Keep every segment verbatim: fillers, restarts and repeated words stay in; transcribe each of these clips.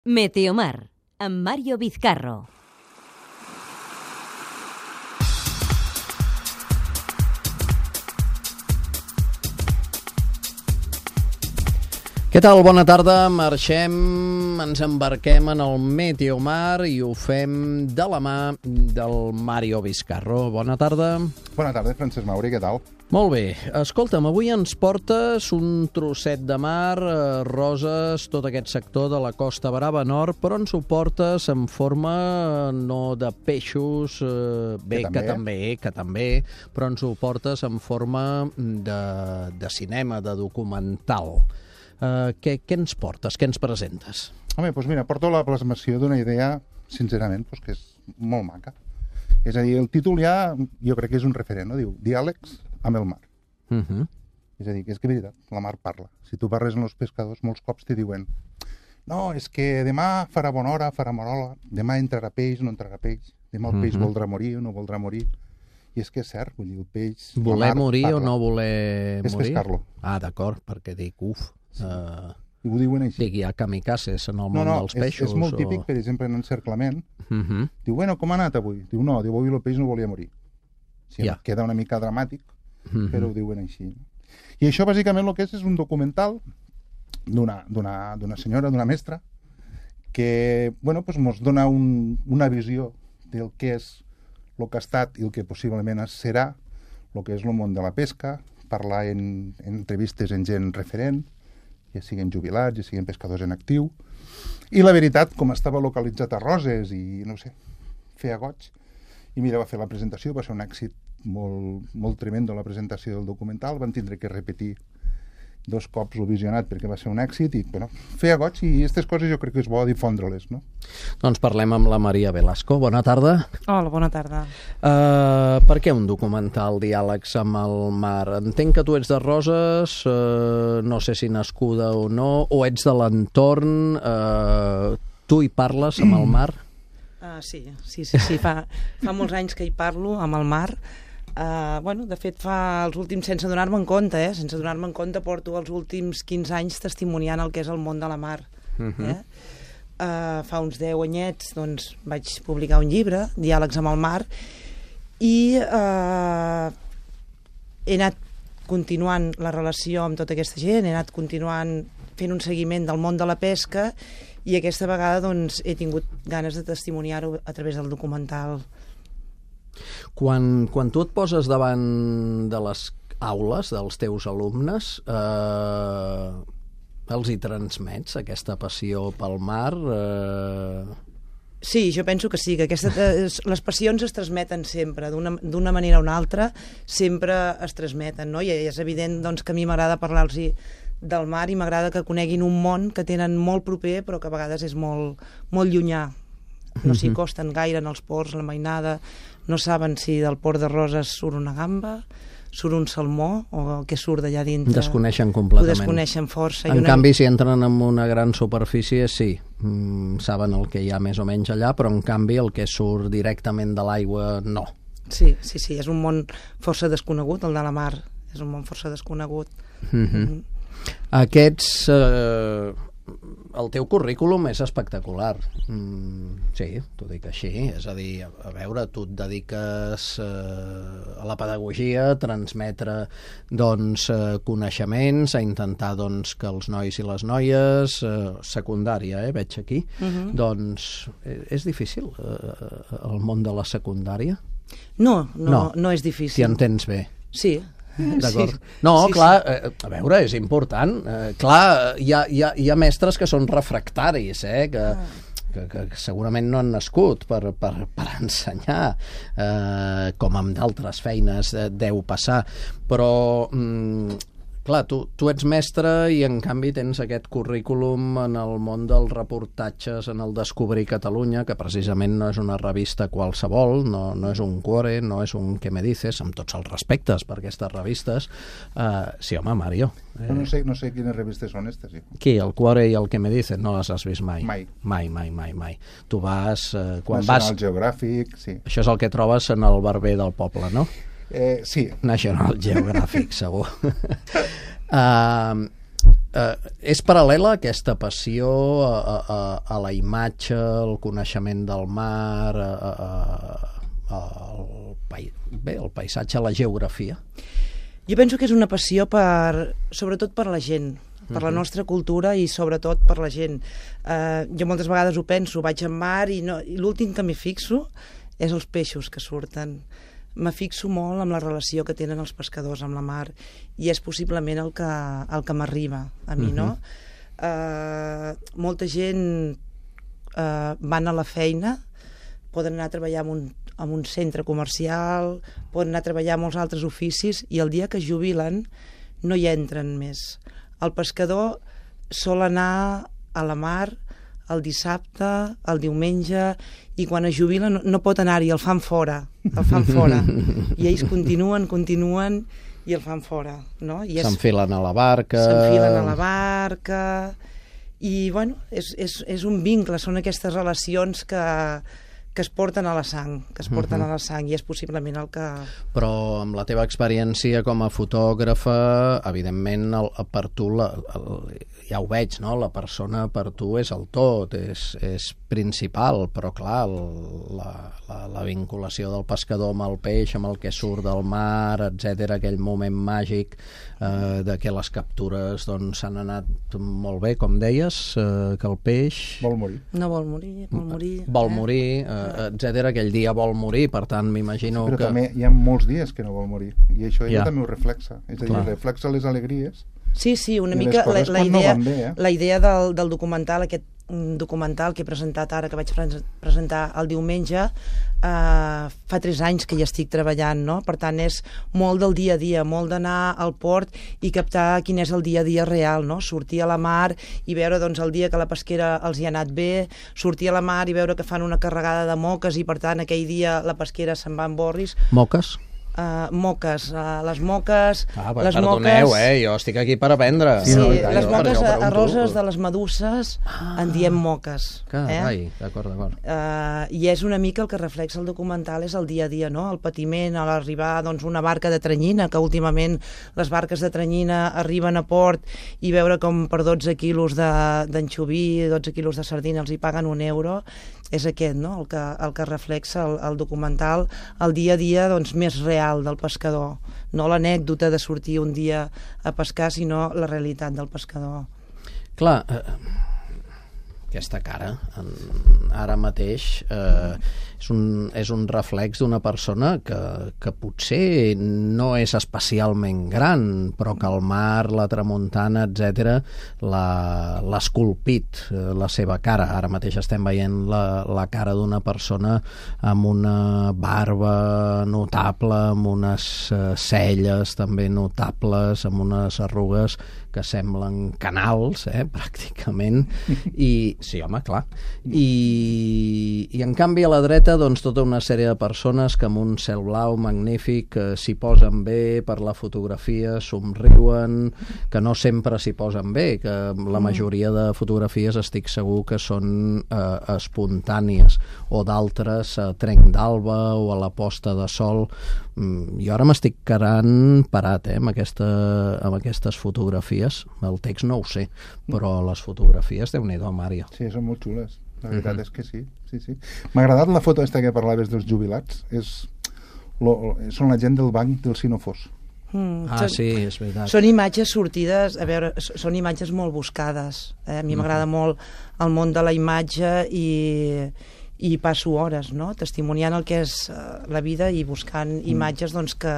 Meteomar, amb Mario Vizcarro. Què tal? Bona tarda. Marxem, ens embarquem en el Meteomar i ho fem de la mà del Mario Vizcarro. Bona tarda. Bona tarda, Francesc Mauri, què tal? Molt bé. Escolta'm, avui ens portes un trosset de mar, eh, Roses, tot aquest sector de la Costa Brava Nord, però ens ho portes en forma no de peixos, eh, bé, que també. que també, que també, però ens ho portes en forma de, de cinema, de documental. Uh, què, què ens portes? Què ens presentes? Home, doncs mira, porto la plasmació d'una idea, sincerament, doncs que és molt maca. És a dir, el títol ja, jo crec que és un referent, no? Diu, Diàlegs amb el mar. Uh -huh. És a dir, que és que és veritat, la mar parla. Si tu parles amb els pescadors, molts cops t'hi diuen no, és que demà farà bona hora, farà bona hora, demà entrarà peix, no entrarà peix, demà el peix uh -huh. voldrà morir o no voldrà morir. I és que és cert, vull dir, el peix... Voler morir parla. O no voler és morir? És pescar-lo. Ah, d'acord, perquè dic, uf... Sí. Uh, I ho diuen així. Dic, hi ha kamikazes en el món no, no, dels peixos. És, és molt o... típic, per exemple, en encerclament. Uh -huh. Diu, bueno, com ha anat avui? Diu, no, diu, avui el peix no volia morir. Sí, ja. Queda una mica dramàtic, uh -huh. però ho diuen així. I això, bàsicament, el que és és un documental d'una d'una senyora, d'una mestra, que, bueno, pues, mos dona un, una visió del que és el que ha estat i el que possiblement serà, el que és el món de la pesca, parlar en, en entrevistes en gent referent, ja siguin jubilats, ja siguin pescadors en actiu. I la veritat, com estava localitzat a Roses i, no sé, feia goig, i mira, va fer la presentació, va ser un èxit molt, molt tremendo la presentació del documental, van tindre que repetir dos cops el visionat perquè va ser un èxit i, bueno, feia goig i aquestes coses jo crec que és bo difondre-les, no? Doncs parlem amb la Maria Velasco. Bona tarda. Hola, bona tarda. Uh, per què un documental Diàlegs amb el mar? Entenc que tu ets de Roses, uh, no sé si nascuda o no, o ets de l'entorn, uh, tu hi parles amb el mar? Uh, sí, sí, sí, sí. Fa, fa molts anys que hi parlo amb el mar. Uh, bueno, de fet, fa els últims, sense donar-me en compte, eh? sense donar-me en compte, porto els últims quinze anys testimoniant el que és el món de la mar. Uh-huh. eh? uh, fa uns deu anyets doncs, vaig publicar un llibre, Diàlegs amb el mar, i uh, he anat continuant la relació amb tota aquesta gent, he anat continuant fent un seguiment del món de la pesca, i aquesta vegada doncs, he tingut ganes de testimoniar-ho a través del documental. Quan, quan tu et poses davant de les aules dels teus alumnes, eh, els hi transmets aquesta passió pel mar? Eh... Sí, jo penso que sí, que aquesta, les passions es transmeten sempre, d'una manera o una altra, sempre es transmeten, no? I és evident doncs, que a mi m'agrada parlar-los del mar i m'agrada que coneguin un món que tenen molt proper però que a vegades és molt, molt llunyà. No s'hi costen gaire en els ports, la mainada, no saben si del port de Roses surt una gamba, surt un salmó o què surt d'allà dintre. Desconeixen completament. Ho desconeixen força. En una... canvi, si entren en una gran superfície, sí, mm, saben el que hi ha més o menys allà, però en canvi el que surt directament de l'aigua, no. Sí, sí, sí, és un món força desconegut, el de la mar, és un món força desconegut. Mm-hmm. Mm-hmm. Aquests... Eh... El teu currículum és espectacular. Mm, sí, t'ho dic així. És a dir, a veure, tu et dediques eh, a la pedagogia, a transmetre doncs, eh, coneixements, a intentar doncs, que els nois i les noies, eh, secundària, eh, veig aquí, uh-huh. doncs eh, és difícil eh, el món de la secundària? No, no, no, no és difícil. T'hi entens bé? Sí. D'acord. Sí. No, sí, clar, sí. Eh, a veure, és important. Eh, clar, hi ha, hi, ha, hi ha mestres que són refractaris, eh, que, ah. que, que segurament no han nascut per, per, per ensenyar, eh, com amb d'altres feines eh, deu passar. Però... Mm, clar, tu, tu ets mestre i en canvi tens aquest currículum en el món dels reportatges, en el Descobrir Catalunya, que precisament no és una revista qualsevol, no, no és un Cuore, no és un Què me dices, amb tots els respectes per aquestes revistes. Uh, sí, home, Mario. Eh... No, sé, no sé quines revistes són aquestes. Sí. Qui, el Cuore i el Què me dices? No les has vist mai? Mai. Mai, mai, mai, mai. Tu vas... Uh, quan National vas... Geographic, sí. Això és el que trobes en el barber del poble, no? Eh, sí. National Geographic, segur. uh, eh, és paral·lela aquesta passió a, a, a la imatge, al coneixement del mar, a, a, a, al, pai, bé, el paisatge, la geografia? Jo penso que és una passió per, sobretot per la gent, per la nostra cultura i sobretot per la gent. Uh, jo moltes vegades ho penso, vaig al mar i, no, i l'últim que m'hi fixo és els peixos que surten. Me fixo molt amb la relació que tenen els pescadors amb la mar i és possiblement el que, el que m'arriba a mi, uh-huh. no? Uh, molta gent uh, van a la feina, poden anar a treballar en un, en un centre comercial, poden anar a treballar en molts altres oficis i el dia que es jubilen no hi entren més. El pescador sol anar a la mar el dissabte, el diumenge, i quan es jubila no, no pot anar-hi, el fan fora, el fan fora. I ells continuen, continuen, i el fan fora. No? I és... S'enfilen a la barca... S'enfilen a la barca... I, bueno, és, és, és un vincle, són aquestes relacions que, que es porten a la sang, que es porten uh-huh. a la sang, i és possiblement el que... Però amb la teva experiència com a fotògrafa, evidentment, el, per tu, la, el, ja ho veig, no? La persona per tu és el tot, és, és principal, però clar, el, la, la, la vinculació del pescador amb el peix, amb el que surt del mar, etcètera, aquell moment màgic eh, de que les captures doncs, s'han anat molt bé, com deies, eh, que el peix... Vol morir. No vol morir, vol morir... Vol eh? morir, eh, etcètera, aquell dia vol morir, per tant, m'imagino Però que... també hi ha molts dies que no vol morir, i això ella Ja. també ho reflexa. És a dir, Clar. reflexa les alegries. Sí, sí, una I les mica la, coses la quan no idea, van bé, eh? la idea del, del documental, aquest mm, documental que he presentat ara, que vaig pre- presentar el diumenge, eh, fa tres anys que hi estic treballant, no? Per tant, és molt del dia a dia, molt d'anar al port i captar quin és el dia a dia real, no? Sortir a la mar i veure doncs, el dia que la pesquera els hi ha anat bé, sortir a la mar i veure que fan una carregada de moques i, per tant, aquell dia la pesquera se'n va en borris. Moques? Uh, moques, uh, les moques... Ah, les perdoneu, moques... eh? Jo estic aquí per aprendre. Sí, no, sí, no, les jo- moques jo pregunto. arroses de les meduses ah, en diem moques. Carai, Eh? d'acord, d'acord. Uh, I és una mica el que reflexa el documental, és el dia a dia, no? El patiment a l'arribar doncs, una barca de tranyina, que últimament les barques de tranyina arriben a port i veure com per dotze quilos d'anxoví, de, dotze quilos de sardina els hi paguen un euro, és aquest, no? El que, el que reflexa el, el documental, el dia a dia doncs, més real del pescador. No l'anècdota de sortir un dia a pescar, sinó la realitat del pescador. Clar, eh, aquesta cara, en, ara mateix, eh, és, un, és un reflex d'una persona que, que potser no és especialment gran, però que el mar, la tramuntana, etcètera, l'ha esculpit, eh, la seva cara. Ara mateix estem veient la, la cara d'una persona amb una barba notable, amb unes eh, celles també notables, amb unes arrugues que semblen canals, eh, pràcticament, i sí, home, clar. I, i en canvi a la dreta, doncs, tota una sèrie de persones que amb un cel blau magnífic eh, s'hi posen bé per la fotografia, somriuen, que no sempre s'hi posen bé, que la majoria de fotografies estic segur que són eh, espontànies, o d'altres a trenc d'alba o a la posta de sol. Mm, jo ara m'estic quedant parat eh, amb, aquesta, amb aquestes fotografies. El text no ho sé, però les fotografies, Déu-n'hi-do, Màrio. Sí, són molt xules. La veritat Mhm. és que sí. sí, sí. M'ha agradat la foto aquesta que parlaves dels jubilats. És, lo, són la gent del banc del Sinofós. Mm, Ah, són- sí, és veritat. Són imatges sortides, a veure, s- són imatges molt buscades. Eh? A mi m'agrada molt el món de la imatge i, i passo hores, no?, testimoniant el que és eh, la vida i buscant imatges doncs, que,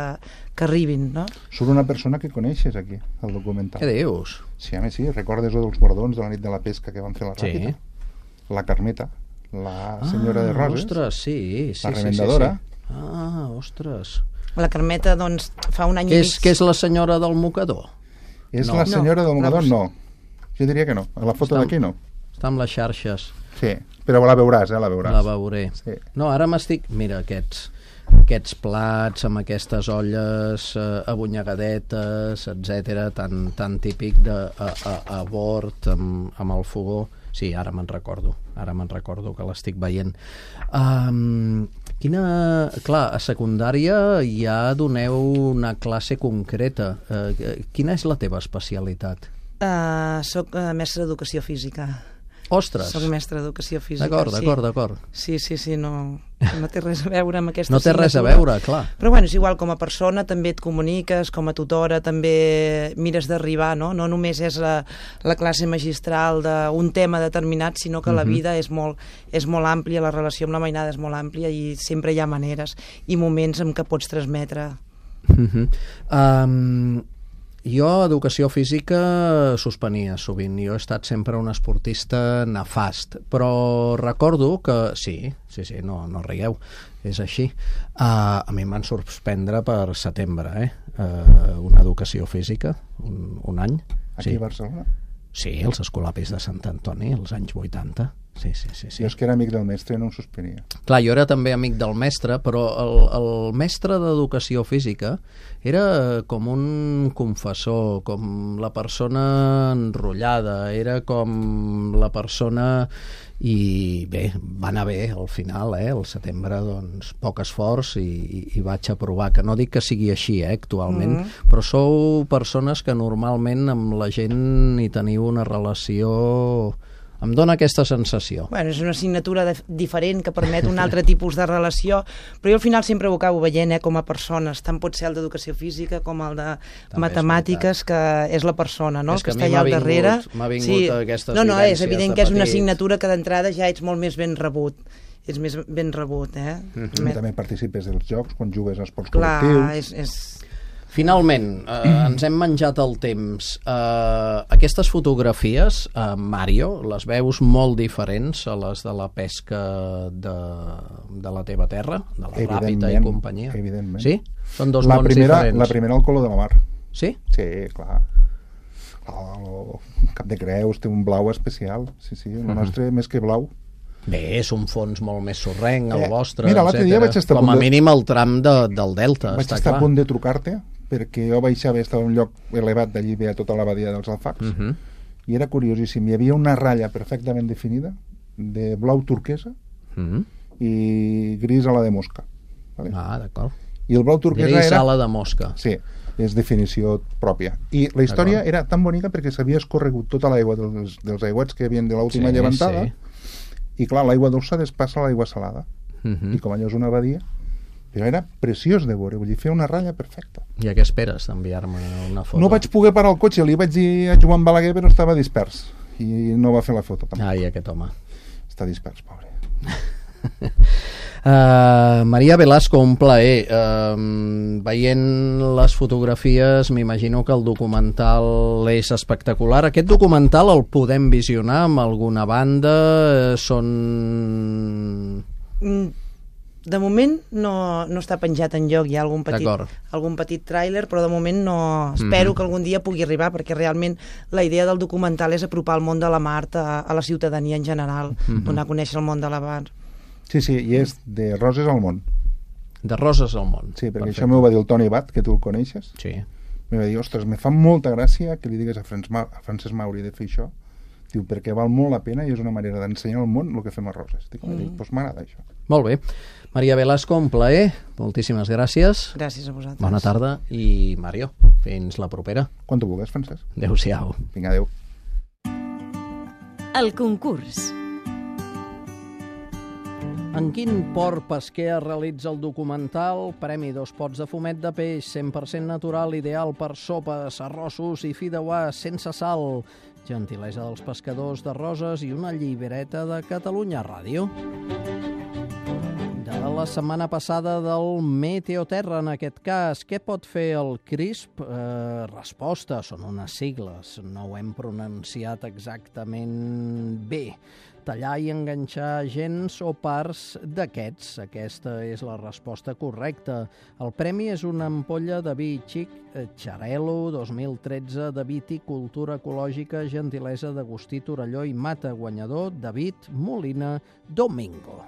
que arribin, no? Surt una persona que coneixes aquí, al documental. Què dius? Sí, a més sí, recordes o dels guardons de la nit de la pesca que van fer la Sí. Ràpita? La Carmeta, la senyora ah, de Roses, Ostres, sí, sí, la sí, remendadora. Sí, sí. Ah, ostres. La Carmeta, doncs, fa un any Què i és, mig... què és la senyora del mocador? És No. la senyora No, del mocador? la- No. Jo diria que no. A la foto Està- d'aquí no. Està amb les xarxes. Sí, però la veuràs, eh? La veuràs. La veuré. Sí. No, ara m'estic... Mira, aquests, aquests plats amb aquestes olles eh, abonyegadetes, etcètera, tan, tan típic de a, a, a bord, amb, amb el fogó. Sí, ara me'n recordo. Ara me'n recordo que l'estic veient. Um, quina... Clar, a secundària ja doneu una classe concreta. Uh, quina és la teva especialitat? Uh, soc uh, mestre d'educació física. Ostres! Soc mestre d'educació física. D'acord, sí. d'acord, d'acord. Sí, sí, sí, no, no té res a veure amb aquesta No té res a assignatura. veure, clar. Però bueno, és igual, com a persona també et comuniques, com a tutora també mires d'arribar, no? No només és la, la classe magistral d'un tema determinat, sinó que uh-huh. la vida és molt, és molt àmplia, la relació amb la mainada és molt àmplia i sempre hi ha maneres i moments en què pots transmetre. Uh-huh. Um, jo, educació física, suspenia sovint. Jo he estat sempre un esportista nefast, però recordo que... Sí, sí, sí, no, no rigueu, és així. Uh, a mi em van suspendre per setembre, eh? Uh, una educació física, un, un any. Aquí sí. a Barcelona? Sí, els escolapis de Sant Antoni, als anys vuitanta. Sí, sí, sí, sí. Jo és que era amic del mestre i no em suspenia. Clar, jo era també amic del mestre, però el, el mestre d'educació física era com un confessor, com la persona enrotllada, era com la persona... I bé, va anar bé al final, eh? Al setembre, doncs, poc esforç i, i, i vaig aprovar, que no dic que sigui així, eh, actualment, mm. però sou persones que normalment amb la gent hi teniu una relació... Em dóna aquesta sensació. Bueno, és una assignatura de, diferent que permet un altre tipus de relació, però jo al final sempre ho acabo veient, eh, com a persones. Tant pot ser el d'educació física com el de també matemàtiques, que és la persona, no? És que, que que està allà al darrere. M'ha vingut sí. aquestes no, no, vivències és evident de que és una petit. assignatura que d'entrada ja ets molt més ben rebut. Ets més ben rebut, eh? Mm-hmm. També participes dels jocs, quan jugues a esports Clar, col·lectius. és... és... Finalment, eh, ens hem menjat el temps. Eh, aquestes fotografies, eh, Mario, les veus molt diferents a les de la pesca de, de la teva terra, de la Ràpita i companyia. Evidentment. Sí? Són dos la mons primera, diferents. La primera al color de la mar. Sí? Sí, clar. El Cap de Creus té un blau especial. Sí, sí, el nostre més que blau. Bé, és un fons molt més sorrenc, el Eh, vostre, mira, l'altre dia vaig estar a com a punt de- mínim el tram de, del delta, Vaig està estar clar. a punt de trucar-te perquè jo baixava, estava en un lloc elevat d'allí, veia tota la badia dels Alfacs, Uh -huh. i era curiosíssim. Hi havia una ratlla perfectament definida de blau turquesa Uh -huh. i gris a la de mosca. Vale? Ah, d'acord. I el blau turquesa Gris era... ala de mosca. Sí, és definició pròpia. I la història era tan bonica perquè s'havia escorregut tota l'aigua dels, dels aiguats que havien de l'última Sí, llevantada, sí. i clar, l'aigua dolça despassa a l'aigua salada. Uh -huh. I com allò és una badia, però era preciós de veure, vull dir, feia una ratlla perfecta. I a què esperes d'enviar-me una foto? No vaig poder parar el cotxe, li vaig dir a Joan Balaguer, però estava dispers i no va fer la foto tampoc. Ai, aquest home. Està dispers, pobre. Uh, Maria Velasco, un plaer. Uh, veient les fotografies m'imagino que el documental és espectacular. Aquest documental el podem visionar amb alguna banda? Són... De moment no, no està penjat enlloc, hi ha algun petit, D'acord. algun petit tràiler, però de moment no... Espero Mhm. que algun dia pugui arribar, perquè realment la idea del documental és apropar el món de la mar a, a la ciutadania en general, Mhm. donar a conèixer el món de la mar. Sí, sí, i és de Roses al món. De Roses al món. Sí, perquè Perfecte. això m'ho va dir el Toni Bat, que tu el coneixes. Sí. Me va dir, ostres, me fa molta gràcia que li digues a, Frans Ma a Francesc Mauri de fer això. Diu, perquè val molt la pena i és una manera d'ensenyar al món el que fem a Roses. Dic, mm. doncs m'agrada això. Molt bé. Maria Velasco, un plaer. Moltíssimes gràcies. Gràcies a vosaltres. Bona tarda. I Mario, fins la propera. Quan tu vulguis, Francesc. Adéu-siau. Vinga, adéu. El concurs. En quin port pesquer es realitza el documental? Premi dos pots de fumet de peix, cent per cent natural, ideal per sopes, arrossos i fideuà sense sal. Gentilesa dels pescadors de Roses i una llibreta de Catalunya Ràdio. De la setmana passada del Meteoterra, en aquest cas, què pot fer el CRISP? Eh, resposta, són unes sigles, no ho hem pronunciat exactament bé. Tallar i enganxar gens o parts d'aquests. Aquesta és la resposta correcta. El premi és una ampolla de vi xic Xarel·lo dos mil tretze de viticultura ecològica, gentilesa d'Agustí Torelló i Mata, guanyador David Molina Domingo.